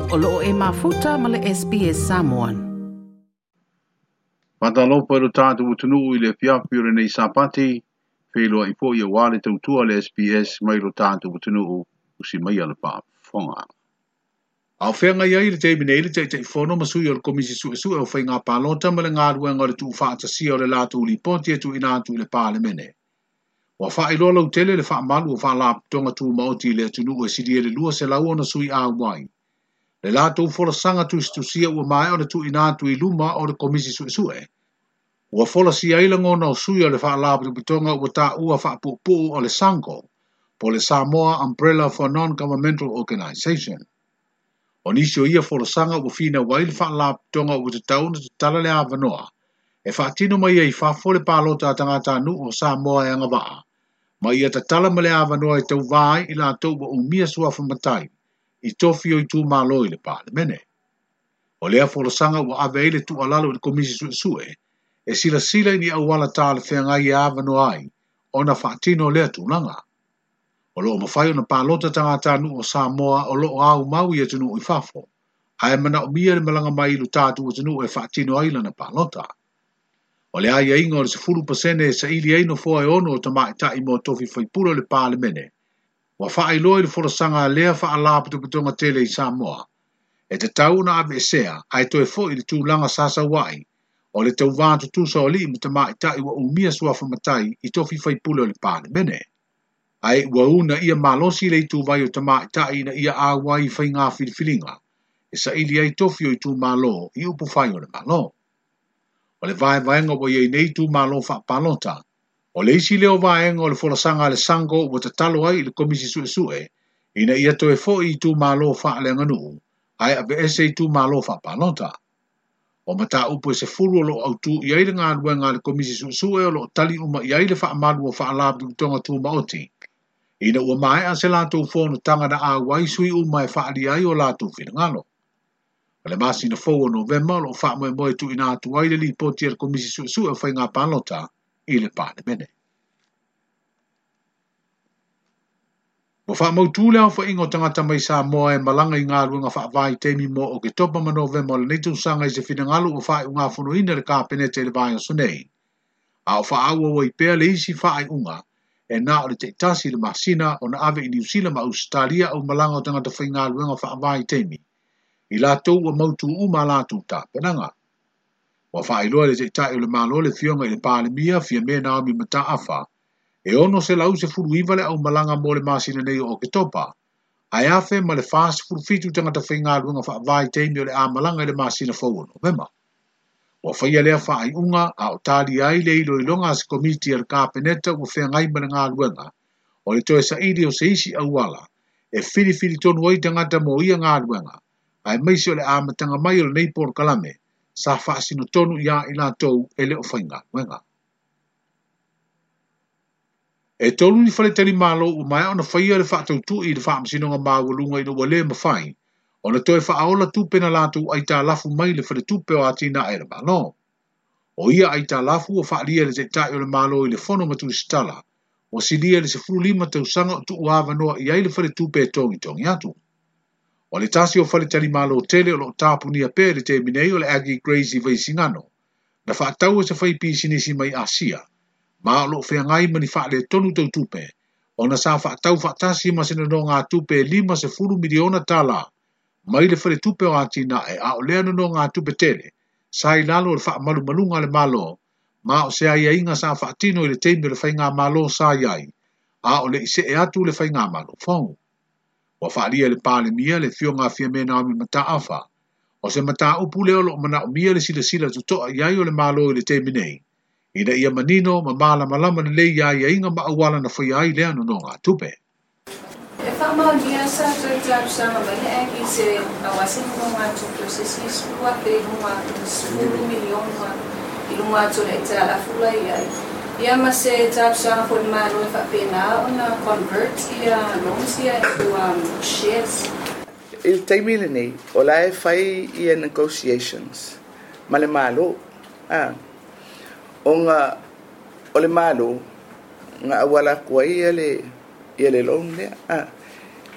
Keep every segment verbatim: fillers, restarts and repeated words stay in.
O loo e mafuta ma le S B S Samoan. Fatalofa i lo tātou atunuu i le afiafi o lenei Sapati, wheloa i po i a wale tautua le S B S mai lo tātou atunuu usi mai ala whaafonga. Au whenga ia i le teimi nei le Taitaifono ma sui o le Komisi Suesue o Faiga Palota ma le galuega o le tuufaatasia o le latou lipoti e tuuina atu i le Palemene. Ua faailoa lautele le faamalu o faalapotopotoga tumaoti i le atunuu e silia i le lua selau ona sui auai. Le latou folasaga tusitusia ua maea ona tuuina atu i luma o le Komisi Suesue. Ua folasia ai lagona o sui o le faalapotopotoga ua taua faapuupuu o le SANGO, po le Samoa Umbrella for Non-Governmental Organisation. O nisi o ia folasaga ua finau ai le faalapotopotoga ua tatau ona tatala le avanoa e faatino mai ai fafo le palota a tagatanuu o Samoa e agavaa, ma ia tatala ma le avanoa e tauvā ai i latou ua umia suafa matai i tofi o itumalo i le Palemene. O lea folasaga ua ave ai le tuualalo i le Komisi Suesue e silasila i ni auala talafeagai e avanoa ai ona faatino lea tulaga. O loo mafai ona palota tagatanuu o Samoa o loo aumau i atunuu i fafo, ae manaomia le malaga mai i lo tatou atunuu e faatino ai lana palota. O le aiaiga o le sefulu pasene e saili ai nofoa e ono o tamaitai mo tofi faipule o le Palemene, ua faailoa i le folasaga a lea faalapotopotoga tele i Samoa, e tatau ona aveesea ae toe foi i le tulaga sa sauai o le tauvā tutusa o alii ma tamaitai ua umia suafa matai i tofi faipule o le Palemene. Ae ua una ia malosi le ituvai o tamaitai ina ia auai i faiga filifiliga e saili ai tofi o itumalo i upufai o le Malo. O le vaevaega ua iai nei itumalo faapalota, o le isi lea o vaega o le folasaga a le SANGO ua tatalo ai i le Komisi Suesue ina ia toe foi itumalo faaleaganuu ae aveese itumalo faapalota. O mataupu e sefulu o loo autū i ai le galuega a le Komisi Suesue o loo tali uma i ai le faamalu o faalapotopotoga tumaoti, ina ua maea se latou fonotaga na auai sui uma e faalia ai o latou finagalo. O le masina fou o Novema o loo faamoemoe tuuina atu ai le lipoti a le Komisi Suesue o Faiga Palota i le Palemene. Ua faamautū le aofaiga o tagata mai Samoa e malaga i galuega faavaitaimi mo Oketopa ma Novema o lenei tausaga i se finagalo ua faaiugafonoina le Kapeneta i le vaiaso nei. A o faaauau ai pea le isi faaiuga e na o le taitasi le masina ona ave i Niu Sila ma Ausetalia au malaga o tagata faigaluega faavaitaimi i latou ua mautū uma a latou tapenaga. Ua faailoa le taitai o le Malo le Afioga i le Palemia Fiame Naomi Mataafa e ono selau sefulu iva le aumalaga mo le masina nei o Oketopa, ae afe ma le fasefulu fitu tagata faigaluega faavaitaimi o le amalaga i le masina fou o Novema. Ua faia lea faaiuga a o talia ai le iloiloga a se komiti a le Kapeneta ua feagai ma le galuega o le toe saili o se isi auala e filifili tonu ai tagata mo ia galuega, aemaise o le amataga mai o lenei polokalame sa faasino tonu iā i latou e le o faigaluega. E tolu ni faletalimalo ua maea ona faia le faatautui i le faamasinoga maualuga ina ua le mafai ona toe faaola tupe na latou aitalafu mai le faletupe o atinae e le Malo. O ia aitalafu ua faalia e le taitai o le Malo i le fono ma tusitala, ua silia i le sefulu lima tausaga o tuuavanoa i ai le faletupe e togitogi atu. O le tasi o faletalimalo tele o loo tapunia pea i le taimi nei o le Aggie Grace i Vaisigano, na faataua se fai pisinisi mai Asia, ma o loo feagai ma ni faaletonu tautupe, ona sa faatau faatasi ma se nonogatupe e lima sefulu miliona tala mai le faletupe o atinae a o lea nonogatupe tele sa i lalo o le faamalumaluga a le Malo, ma o se aiaiga sa faatino i le taimi o le faigamalo sa i ai, a o le i see atu le faigamalo fou. Ua faalia e le Palemia le Afioga a Fiame Naomi Mataafa, o se mataupu lea o loo manaomia le silasila totoa i ai o le Malo i le taimi nei, ina ia manino ma malamalama lelei i aiaiga ma auala na faia ai lea nonogatupe. E faamaonia sa toe talosaga mai le Aggie se aua se nonogatupe o se isi sefulu afe i luga atu, sefulu miliona i luga atu o le aitalafu la i ai. Ia ma se talosaga foi le Malo e faapena ona convert ia loans ia into um, shares. I le taimi lenei, o la e fai ia negotiations ma le Malo. Ah, ona o le Malo nga auala atu ai ia le ia le loan lea. Ah,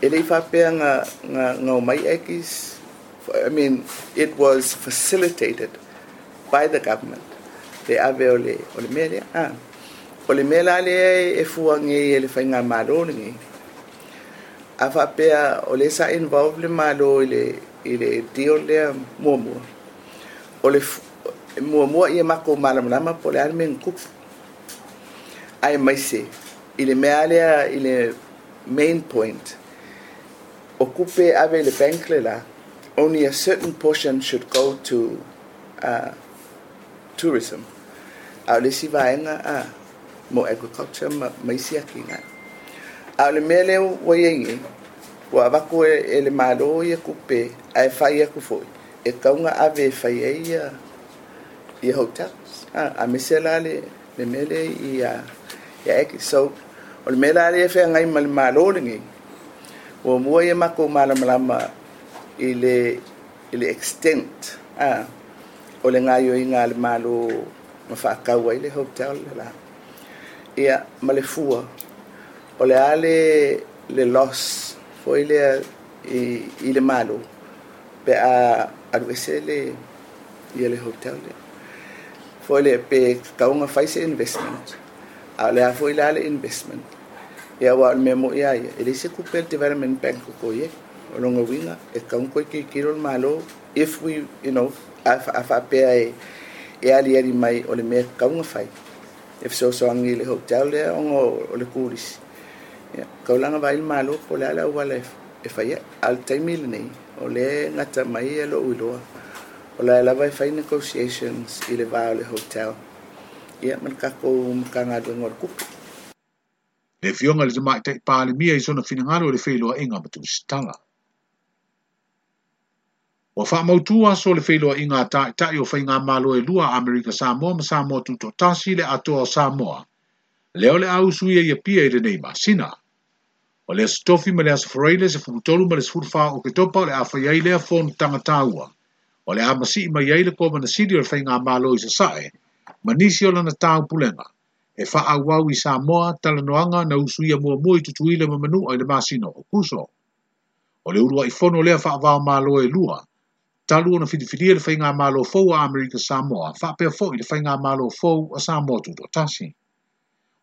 e le i faapea nga nga nga omai Aggies I mean, it was facilitated by the government. Le ave o le, o le mea lea. Ah. O le mea la lea e fuaga e le faigamalo lenei. A faapea o le sa involve le Malo i le, i le deal lea muamua. O le muamua ia makou malamalama po o le a le mea na tupu. Aemaise i le mea lea i le main point. O kupe ave le bank le la, only a certain portion should go to uh, tourism. A o le isi vaega a mo agriculture ma, ma isi atinae. A o le mea lea ua iai nei, ua avatu e, e le Malo ia kupe ae fai atu foi e tau ona ave e fai ai ia, ia hotels. A, aemaise la le, le mea lea i ia, ia Aggies. So, o le mea la lea e feagai ma le Malo lenei, muamua ia makou malamalama i le, i le extent a, o le gaioiga a le Malo ma faatau ai le hotel le la. Ia, ma le fua, o le a le, le loss foi lea i, i le Malo pe a alu ese le, ia le hotel lea. Foi le pe tatau ona fai se investment. A o le a foi la le investment. Ia aua o le mea mo'i a ia, e leai se tupe a le Development Bank o ko iai. O lona uiga, e tatau ona toe tilotilo le Malo if we, you know, a, a faapea e, e aliali mai o le mea tatau ona fai. E fesoasoani i le hotel lea ona o le turisi. Ia, taulaga vaai le Malo po o le a le auala e, e fai ai. A o le taimi lenei, o lea e gata mai e lou iloa. O la e lava e fai negotiations i le va o le hotel. Ia, ma le tatou Matagaluega o le Tupe. Le afioga i le Tamaitai Palemia i sona finagalo i le feiloaiga ma tusitala. Ua faamautu aso o le feiloaiga a taitai o faigamalo e lua Amerika Samoa ma Samoa Tutoatasi le atoa o Samoa. Lea o le a usuia i Apia i lenei masina. O le Aso Tofi ma le Aso Faraile sefulu tolu ma le sefulu fa o Oketopa o le a fai ai lea fonotaga taua. O le a masii mai ai le Kovana Sili o le Faigamalo i Sasae, ma nisi o lana taupulega. E faaauau i Samoa talanoaga na usuia muamua i Tutuila ma Manua i le masina o Okuso. O le uluai fono lea faava-o-Malo e lua, talu ona filifilia le faigamalo fou a Amerika Samoa, faapea foi le faigamalo fou a Samoa Tutoatasi.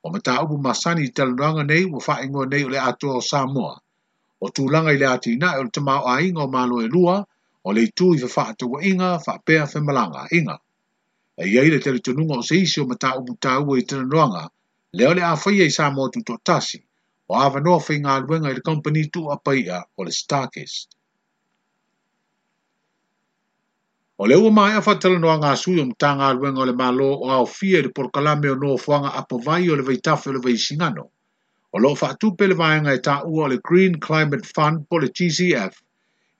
O mataupu masani i talanoaga nei ua faaigoa nei o le atoa o Samoa. O tulaga i le atinae o le tamaoaiga o Malo e lua, o le itu i fefaatauaiga faapea femalagaaiga. E iai le talitonuga o se isi o mataupu taua i talanoaga, lea o le a faia i Samoa Tutoatasi, o avanoa faigaluega i le kamupani tuuapaia o le StarKist. O lea ua maea faatalanoaga a sui o Matagaluega o le Malo o aofia i le polokalame o nofoaga apovai o le vaitafe o le Vaisigano. O loo faatupe le vaega e taua o le Green Climate Fund po o le G C F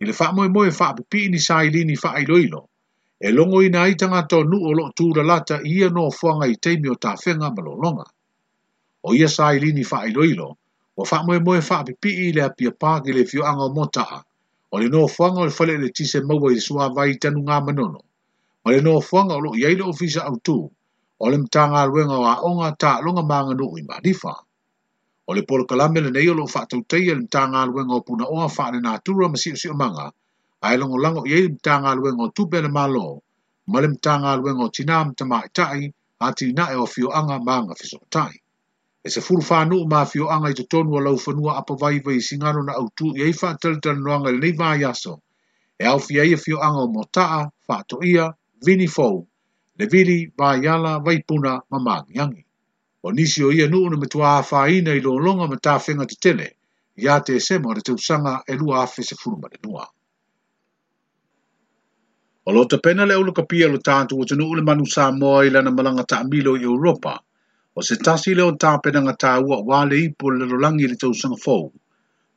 i le faamoemoe faapipii ni sailini faailoilo. E logoina ai tagata o nuu o loo tulalata i ia nofoaga i taimi o tafega ma lologa. O ia sailini faailoilo, ua faamoemoe faapipii i le Apia Park i le afioaga o Motaa, o le nofoaga o le fale eletise maua i le suavai i Tanugamanono, ma le nofoaga o loo iai le ofisa autu, o le Matagaluega o Aoga, Taaloga ma Aganuu i Malifa. O le polokalame lenei o loo faatautaia e le Matagaluega o Punaoa Faalenatura ma Siosiomaga, ae lagolago i ai le Matagaluega o Tupe a le Malo, ma le Matagaluega o Tina ma Tamaitai, atinae o afioaga ma agafesootai. E sefulu fa nuu ma afioaga i totonu o laufanua apovai Vaisigano na autu i ai faatalatalanoaga i lenei vaiaso, e aofia ai afioaga o Motaa, Faatoia, Vinifou, Levili, Vaiala, Vaipuna ma Magiagi. O nisi o ia nuu na matua afaina i lologa ma tafega tetele, ia Tesema o le tausaga e lua afe sefulu ma le lua. O lo tapena le aulakapia o lo tatou atunuu le manu Samoa i lana malaga taamilo i Europa. O se tasi lea o tapenaga taua aua le ipu o le lalolagi i le tausaga fou.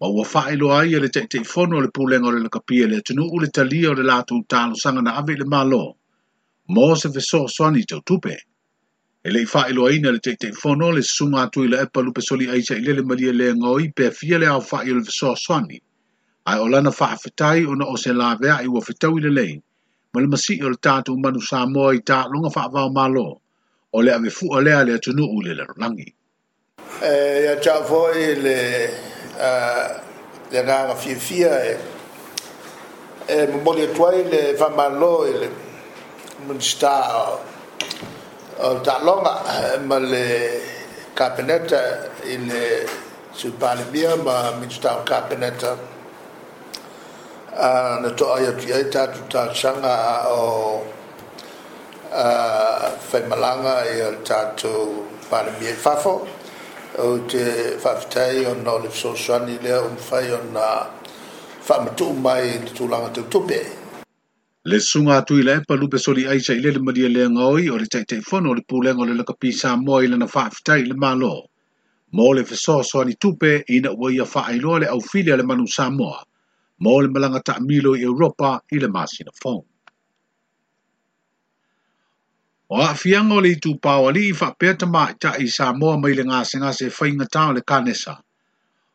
Ma ua faailoa ai e le Taitaifono o le Pulega o le Lakapia le atunuu le talia o le latou talosaga na ave i le Malo mo se fesoasoani tau tupe. E le i faailoaina e le Taitaifono le susuga a Tuilaepa Lupesoli Aisa i Lele Malie le gaoi pe fia le aofai o le fesoasoani. Ae o lana faafetai ona o se laveai ua fetaui lelei, ma le masii o le tatou manu Samoa i taaloga faava-o-Malo, o le avefua lea le atunuu i le lalolagi. E ia te au foi le le agaga fiafia e E momoli atu ai le faamalo i le Minisita o le Taaloga ma le Kapeneta i le Sui Palemia ma Minisita o Kapeneta na toai atu i ai tatou talosaga o faimalaga ia le tatou Palemia i fafo. Ou te faafetai ona o le fesoasoani lea ua mafai ona faamatuu mai i le tulaga tau tupe. Le susuga atu i le epa lupe soli aisa i lele malia le gaoi o le Taitaifono o le Pulega o le Lakapi Samoa i lana faafetai i le Malo mo le fesoasoani tupe ina ua ia faailoa le aufili a le manu Samoa mo le malaga taamilo i Europa i le masina fou. O aafiaga o le itupa o alii faapea tamaitai i Samoa mai le gasegase faigata o le kanesa.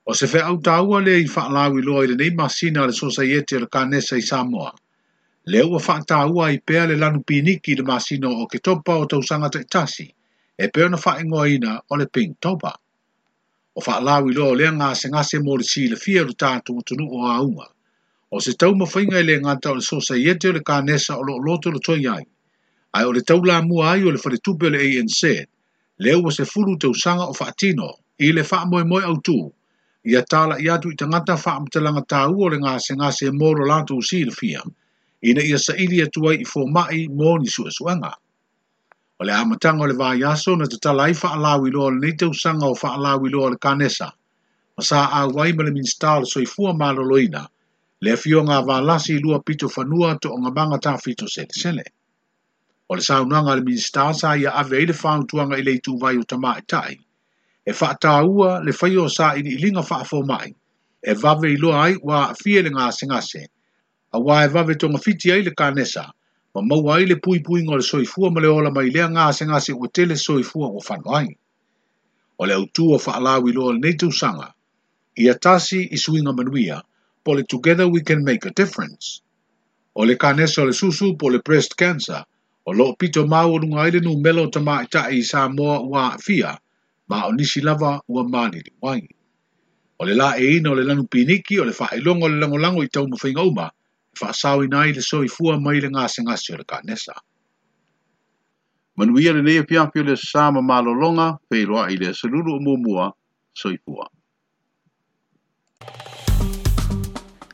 O se feau taua lea i faalauiloa i lenei masina a le Sosaiete o le Kanesa i Samoa. Lea ua faataua ai pea le lanu piniki i le masina o Oketopa o tausaga taitasi, e pei ona faaigoaina o le Pinktober. O faalauiloa o lea gasegase mo le silafia o le tatou atunuu o auga. O se taumafaiga e le gata o le Sosaiete o le Kanesa o loo lotolotoi ai. Ae o le taulamua ai o le faletupe o le A N Z, lea ua sefulu tausaga o faatino i le faamoemoe autū, ia tala'i atu i tagata faamatalaga taua o le gasegase mo lo latou silafia, ina ia saili atu ai i foma'i mo ni suesuega. O le amataga o le vaiaso na tatala ai faalauiloa o lenei tausaga o faalauiloa o le Kanesa, ma sa auai ma le Minisita o le Soifua Maloloina, le afioga a Valasi Lua Pito Fanua Toogamaga Tafito Selesele. O le saunoaga a le Minisita sa ia ave ai le fautuaga i le ituvai o tamaitai, e faataua le faia o sailiiliga faafoma'i, e vave iloa ai ua aafia i le gasegase, auā e vave togafiti ai le kanesa, ma maua ai le puipuiga o le soifua ma le ola mai lea gasegase ua tele soifua ua fano ai. O le autū o faalauiloa o lenei tausaga, ia tasi i suiga manuia, po le Together We Can Make a Difference. O le kanesa o le susu po le breast cancer, o loo pito maualuga ai le numera o tamaitai i Samoa ua aafia, ma o nisi lava ua maliliu ai. O le laeina o le lanu piniki o le faailoga o le lagolago i taumafaiga uma, e faasaoina ai le soifua mai le gasegase o le kanesa. Manuia lenei afiafi o le aso Sa ma malologa, feiloai i le aso Lulu o muamua, soifua.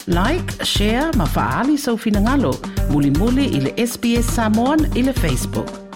Like, share ma faali sau finagalo, mulimuli i le S B S Samoan i le Facebook.